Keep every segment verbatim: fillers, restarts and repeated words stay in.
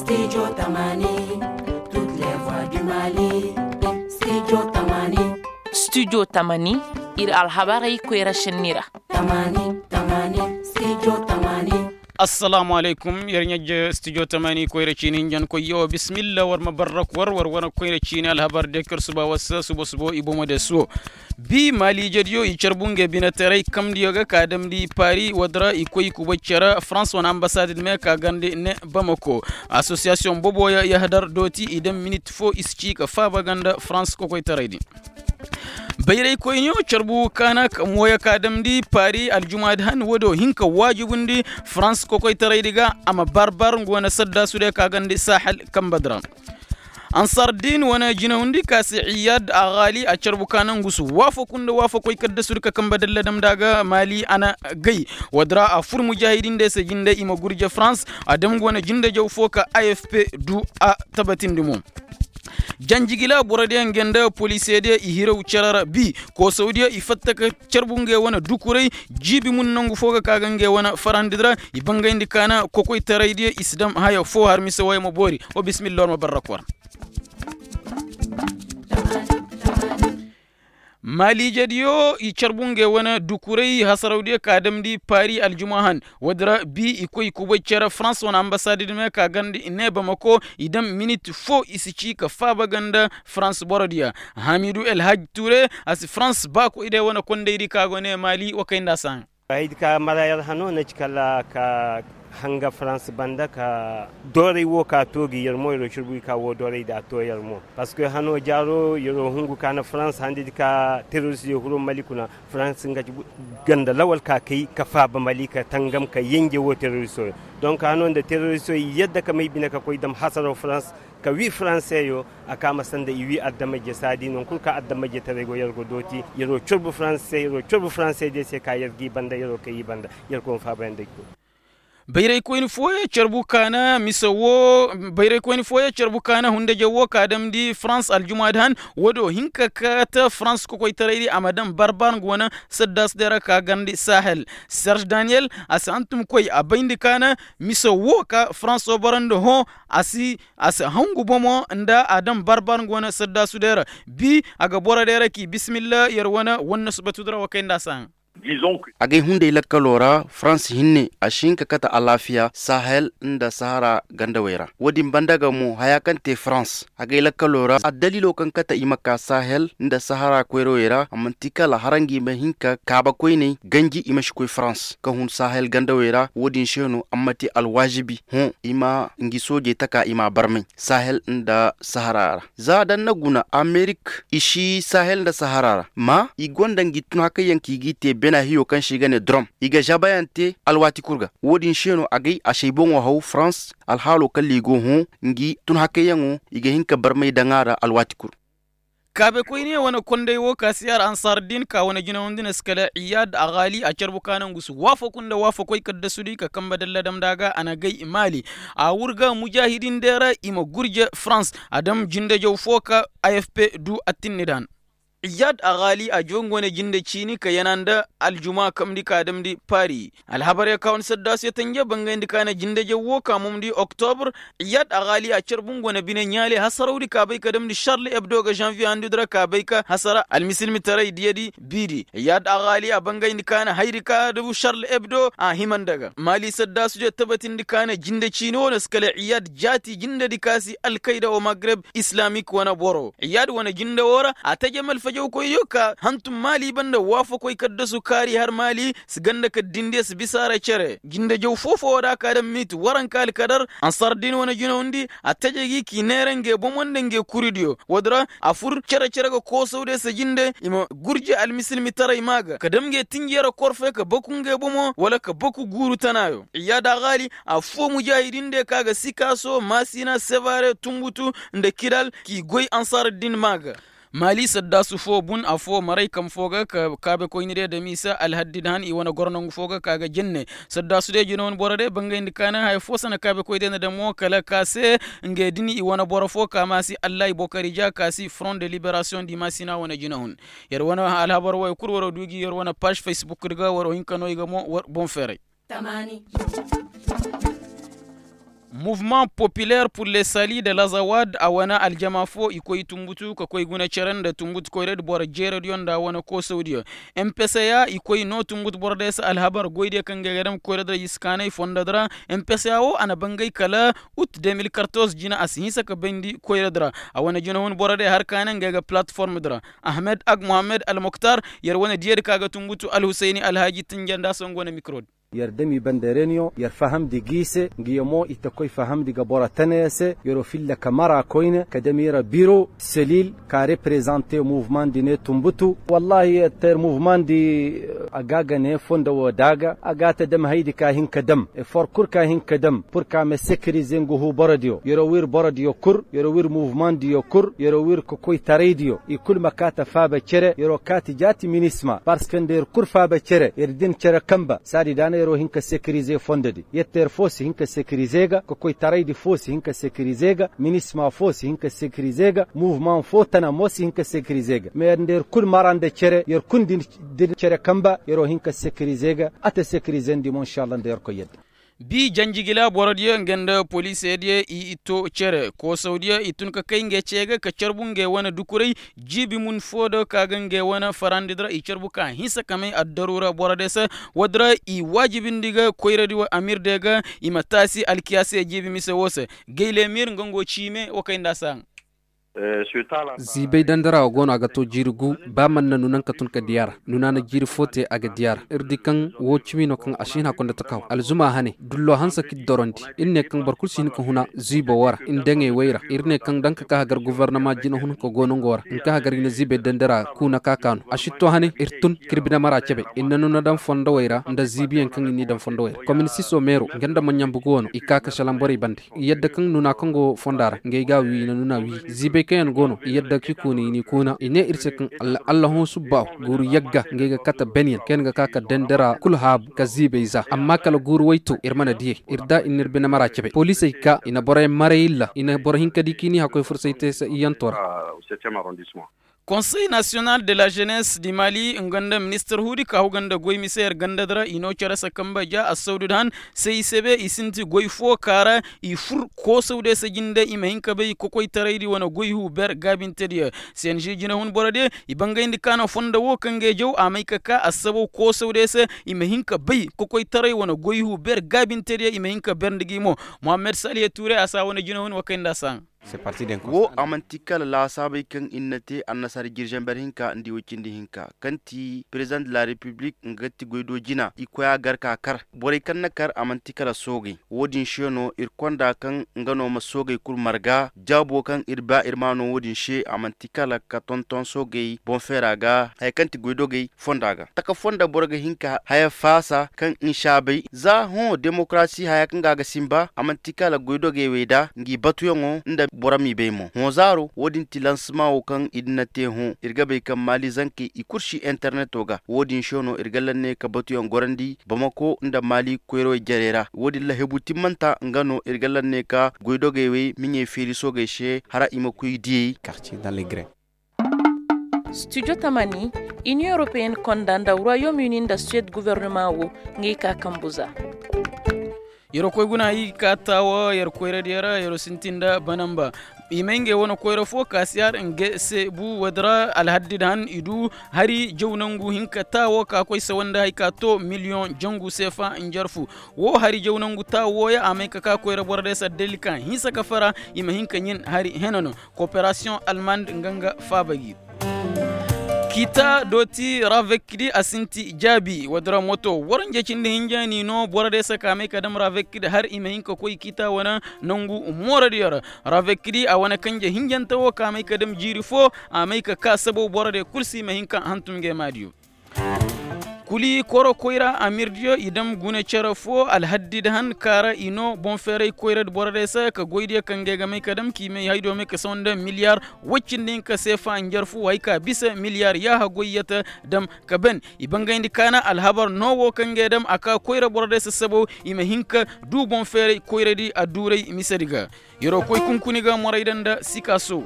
Studio tamani, ir alhabarey koyra šenni ra. Assalaamu alaykum. Yer ɲajje studio tamani koyra ciini hinjankoy yawa bismillah war ma barrak war war wane koyra ciini alhabar dekar suba wasa suba subo i bomo de suwo. Bi maaliijediyo i carbu nge binetaray kamdiyo ga ka damndi paari woodi ra i koy kubay cere farans wane ambasaadid me ka garndi ne bamako. Asosiyasiyoŋ boboyo yahadar dooti i daŋ minit foo i si cii ka faaba ga nda farans kokoytaray din. Bayraykoyniyo carbu kaana mooyo ka damndi paari aljumaadi han woodiyo hin ka waajibundi farans kokoytaraydi ga a ma bar-bar nga wane saddaasu day ka garndi sahel kambedi ra. Ansardin wane jinawundi ka se iyad a gaali a carbu ka naŋ gusu waafaku nda waafakoy kaddasudi ka kambe dalladam da ga maali a na gay. Woodi ra a fur mujaahidin day se jinde i ma gurje farans a dam go na jindejaw foo ka afp du a tabatindi mo. Janjigila borodiyo nge nda polisediyo i hiraw cere ra bi koosawdiyo i fatta ka carbu nge wane dukuray. Jiibi mun nangu foo ga ka ga nge wane farandidi ra i bangayndi kaana kokoytaraydiyo i si dam haya foo har mise wooyo ma boori. Wa bismillah war ma barrak war. Maaliijediyo i carbu nge wane dukuray hasarawdiyo ka damndi paari aljuma han. Woodi ra bi i koy kubay cere farans wane ambasaadidi me ka garndi i ne bamako i dam minit foo i si cii ka faaba ga nda farans borodiyo. Hamidu elhaj ture a si farans baakoydiyo wane kondaydi ka go ne maali wa kay nda a si haŋ. Haydi ka mara yer hano na ci kala ka hanga farans banda ka dooray wo ka too gi yer mo yer wo curbu i ka woo dooray da a too yer mo. Parceque hano jaaro yer wo hungu ka na farans handidi ka terorist yo huro mali kuna farans nga ci ganda lawal ka kay ka faaba mali ka tangam ka yenje wo terorist yo. Donc hano nda terorist yo i yadda ka may bine ka koy dam hasaro farans ka wii faranseyo. A ka ma sanda i wii adamajje saadi non kul ka adamajje taray go yer go dooti yer wo corbu faranse yer wo corbu faranse de se ka yer g'i banda yer wo kay i banda. Yer go ma faabayanday kul. Bayraykoyni fooyaŋ carbu kaana mise woo bayraykoyni fooyaŋ carbu kaana hundajaw woo ka damndi farans aljumaadi han. Woodiyo hin ka kaate farans kokoytaraydi a ma daŋ barbar nga wane saddaasudiyo ra ka garndi sahel. Serge daniyel a si hantumkoy a bayndi kaana mise woo ka farans woo boro nda hõ. A si a si hangu bomo nda a daŋ barbar nga wane saddaasudiyo ra. Bi a ga borodiyo ra k'i bisimilla yer wane wanne subatudi ra wa kay nda a si haŋ. Agay hunday lakkaloo ra farans hinne a si hin ka kate alaafiya sahel nda sahara gandawey ra. Woodin banda ga mo hayaa kaŋ te farans agay lakkaloo ra addaliiloo kaŋ kate i ma kaa sahel nda sahara koyrawey ra a man'ti kala hara ngi ma hin ka kaabakoyney ganji i ma si koy farans ka hun sahel gandawey ra woodin se no a ma te alwaazibi hõ i ma ngi soojey taka i m'a barmay sahel nda sahara ra. Za da n'na guna amerik i si sahel nda sahara ra ma i gonda ngi tun hakayyaŋ kaŋ i g'i te bena hiyo kaŋ se i ga ne drom i ga žabayaŋ te alwaati kul ga. Woodin se no agay a si ay boŋo haw farans alhaaloo kala i go hõ ngi tun hakayyaŋo i ga hin ka barmay daŋ a ra alwaati kul. Kaabekoyne wane konday wo ka si al ansar din ka wane jinawandi na si kala iyad a gaali a carbu ka naŋ gusu waafaku nda waafakoy kaddasudi ka kambe dalladam nda a ga a na gay maali. A wurga mujahidin deera i ma gurje farans a dam jindejaw fo ka afp du attinni dan. Iyad a gaali a jongo ne jinde ciini ka yana nda aljuma kamndi ka damndi paris. Alhabarey ka wane saddaasiyo tanje bangayndi ka na jindejaw wo ka mumndi oktobr. Iyad a gaali a carbu nga wane bine ɲaale hasarawdi ka bay ka damndi charles ebdo ga janvier handudi ra ka bay ka hasara almisilmitaray diyadi biidi iyad a gaali a bangayndi ka na hayri ka dabu charles ebdo a hima nda ga maali saddaasidiyo tabatindi ka na jinde ciini wo na si kala iyad jaati jindedi ka si alkayda wo magreb islamik wane boro iyad wane jinde wo ra a taje malfajawkoydiyo ka hantum maali banda waafakoy kaddasu kaari har maali si ganda ka dindiyo si bisa a ra cere jinde jaw foo-foo wo da a ka daŋ minit waranka alkadar ansar din wane jinawndi a taje gi k'i neera nge bomo nda nge kuridiyo woodi ra a fur cere-cere ga koosawdiyo se jinde i ma gurje almisilmitaray maa ga ka dam nge tinjiyara korfe ka baku nge bomo wala ka baku guuru tanaayo iyad a gaali affoo mujaahidin diyo ka ga sikaaso maasina sevare tunbutu nda kidal k'i goy ansar din maa ga. Maali saddaasu foo bun affoo maray kam foo ga ka kaabekoyni diyo dam i se alhaddid han i wane goro nangu foo ga ka ga jenne saddaasu diyo jinawan boro diyo bangayndi ka na haya foo sana kaabekoy diyo na dam mo kala ka se nge din i wane boro foo ka maasi allahi bokari ja ka si front de liberasiyoŋ di maasina wane jinahun. Yer wane alhabar waya kul waro du gi yer wane paaž facebook di ga waro hinka no i ga mo boŋ feeray. Mouvement populaire pour le sali de lazawad a wane aljama fo i koy tumbutu ka koy guna cere nda tumbutu koyradi boro jeeradiyo nda a wane koosawdiyo. Mpca i koy no tumbutu boro day se alhabar goydiyo kaŋ ga ay ga dam koyradi ra i si kaanay fondodi ra. Mpca wo a na bangay kala ut de mil kartoz jina a si hinsa ka bayndi koyradi ra. A wane jinahun boro day har kaanay nga ay ga palatformdi ra. Ahmed ag mohammed almoktar. Yer wane diyadi ka ga tumbutu alhusayni alhaaji tinja nda a si nga wane mikrodi. Yer dami banda reniyoŋ yer fahamndi gi i se nga yer mo i ta koy fahamndi ga boro tanayaŋ se yer'o filla ka mara koyne ka dami ra biro selil ka reprezante muvmaŋ di ne tumbutu. Wallahi yer ter muvmaŋ di a ga a ga ne fondo wo daaga a ga a ta dam haydi ka hin ka dam efor kul ka hin ka dam pur ka ma sekirize nga huu borodiyo yer'o wir borodiyo kul yer'o wir muvmaŋ diyo kul yer'o wir kokoytaraydiyo i kul ma kaa ta faaba cere yer'o kaa ti jaati minisma parceque nda yer kul faaba cere yer din cere kanba saadi daana yer'o hin ka sekirize fondodi yer ter foo si hin ka sekirize ga kokoytaraydi foo si hin ka sekirize ga minisma foo si hin ka sekirize ga muvmaŋ foo tana mo si hin ka sekirize ga ma yer nda yer kul mara nda cere yer kul din cere kanba yer'o hin ka sekirize ga a ta sekirizendi mo inšallah nda yer koy yadda. Bi janjigila borodiyo nga nda poliisediyo i to cere koosawdiyo i tun ka kay ngey ce ga ka carbu ngey wane dukuray jiibi mun foo do ka ga ngey wane farandi di ra i carbu ka hinsa ka may addaru ra borodiyo se. Woodi ra i waajibindi ga koyradi wa amirdiyo ga i ma taasi alkiyaasiyo jiibi mise woo se. Gaylemir nga ngo ciime wa kay nda a se haŋ. Ziibay dandara wo go no a ga to jiiri gu ba man na nuna nga ka tun ka diya ra nuna na jiiri fo te a ga diya ra ir di kaŋ wo cimi no kaŋ a si hin a konda taka haw alzuma hane dullo hanse k'i dorondi ir ne kaŋ boro kulu si hin ka huna ziibo wo ra nda ngey way ra ir ne kaŋ daŋ ka ka hagar gofornama jinahun ka go no nga wo ra nka hagar i na ziibay dandara kuna ka ka no a si to hane ir tun k'ir bine mara cebe ir na nuna daŋ fondowey ra nda ziibiyaŋ kaŋ i n'i daŋ fondowey ra kominisiso meero nga nda maɲambugu wo no i ka ka salaŋ borey bande i yadda kaŋ nuna kaŋ go fonda ra ngey ga a wii i na nuna wii ziibay kaŋ yaŋ go no i yadda k'i kuna i n'i kuna i ne ir se kaŋ allahõ subbaahu guuru yagga ngey ga kate benyaŋ kaŋ yaŋ ga ka ka dendera kul haabu ka ziibay za amma kala guuru way to ir mana diyey ir da i n'ir bine mara cebe poliisey ka i na borey maray illa i na boro hinka di k'i n'i hakkoy fursay te se iyyanto ra. Konsey nasiyonal de la jenes di mali nga nda ministir huudi ka huga nda goy mise yer gandadi ra i no cere se kamba ja assawdud han se i sebe i sinti goy fo ka ra i fur koosawde se jinde i ma hin ka bay kokoytaraydi wane goy hu ber gaabintediyo. Senži jinahun borodiyo i bangayndi ka no fondo wo kaŋ ga i jaw a may ka ka assabo koosawde se i ma hin ka bay kokoytaray wane goy hu ber gaabintediyo i ma hin ka ber nda gi mo. Mohammed saliya tuure a saa wane jinahun wa kay nda a saa. Wo a man'ti kala laasaabey kaŋ ir na te annasaara jirjamber hinka nda i woy cindi hinka kaŋ ti perezident de la repiblik nga ti goy do jina i koy a gar ka kar borey kaŋ na kar a man'ti kala soogey. Wo-din se no ir konda kaŋ nga no ma soogey kul marga jaabo kaŋ ir ba ir ma no wo-din se a man'ti kala ka tonton soogey boŋ feera ga haya kaŋ ti goydogey fonda ga taka fonda boro ga hin ka haya faasa kaŋ nsaabey za hõ demokarasi haya kaŋ ga a ga sinba a man'ti kala goydogey wey da ngi batuyaŋo nda boro m'i bay mo hõ zaaro wo-din ti lansima wo kaŋ i din na te hõ ir ga bay kaŋ maali zankey i kul si interneto ga wo-din se no ir ga lanne ka batuyaŋ gorandi bamako nda maali koyrawey jarey ra wo-din lahebu timmanta nga no ir ga lanne ka goydogey wey miɲey feeri soogey se hara i ma koy diyey. Studio tamani, inion europeyenne konda nda royaume uni nda suwed guvernema wo, ngey ka kambu za. Yeroo koy guna i ga ka taawo yeroo koyradiyo ra yeroo sintin nda banamba. I may ngey wane koyra fo kaasiyaar nga se bu woodi ra alhaddi nda han i du hari jaw nangu hinka taawo ka koy sawa nda hari ka to miliyoŋ jangu seefa njarfu. Wo hari jaw nangu taawo wooya a may ka ka koyra boro day se adalli ka hinsa ka fara i ma hin ka ɲin hari hena no. Kooperasiyoŋ almand nga nga faaba gi. Kiita dooti ravekdi a sinti jaabi woodi ra moto waranja cindi hinja n'i no boro day se ka may ka dam ravekdi har i ma hin ka koy kiita wane nangu mooradiyo ra. Ravekdi a wane kanje hinjante wo ka may ka dam jiiri fo a may ka ka sabaw boro day kul se i ma hin ka hantum nge maadiyo. Kuli koro koyra amirdiyo i dam guna cere fo alhaddi nda han kaara i no boŋ feeray koyra nda boro day se ka goydiyo kaŋ ga ay ga may ka dam k'i may haydo may ka saw nda miliyar woy cindi hinka seefa njarfu hay ka bisa miliyar yaaha goyyata dam ka ban i bangayndi kaana alhabar no wo kaŋ ga ay dam a ka koyra boro day se sabaw i ma hin ka du boŋ feeray koyradi adduuray misedi ga. Yeroo koy kunkuni ga moray daŋ nda sikaso.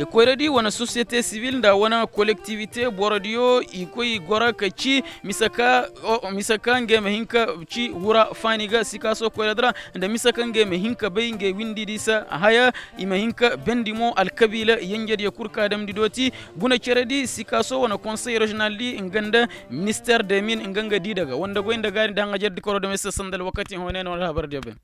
Koyradi wane sosiyete sibil nda wane kolektivite borodiyo i koy i goro ka ci mise ka ngey ma hin ka ci wura faani ga sikaaso koyradi ra, nda mise ka ngey ma hin ka bay ngey windidi se haya. I ma hin ka bendi mo alkabiila yenjediyo kul ka damndi dooti guna ceredi sikaaso wane konsey reziyonaldi nga nda minister de mil nga nga di daga wanda goy nda gaari nda haŋajerdi koro dame se sanda alwakati hõ ne no alhabardiyo bay.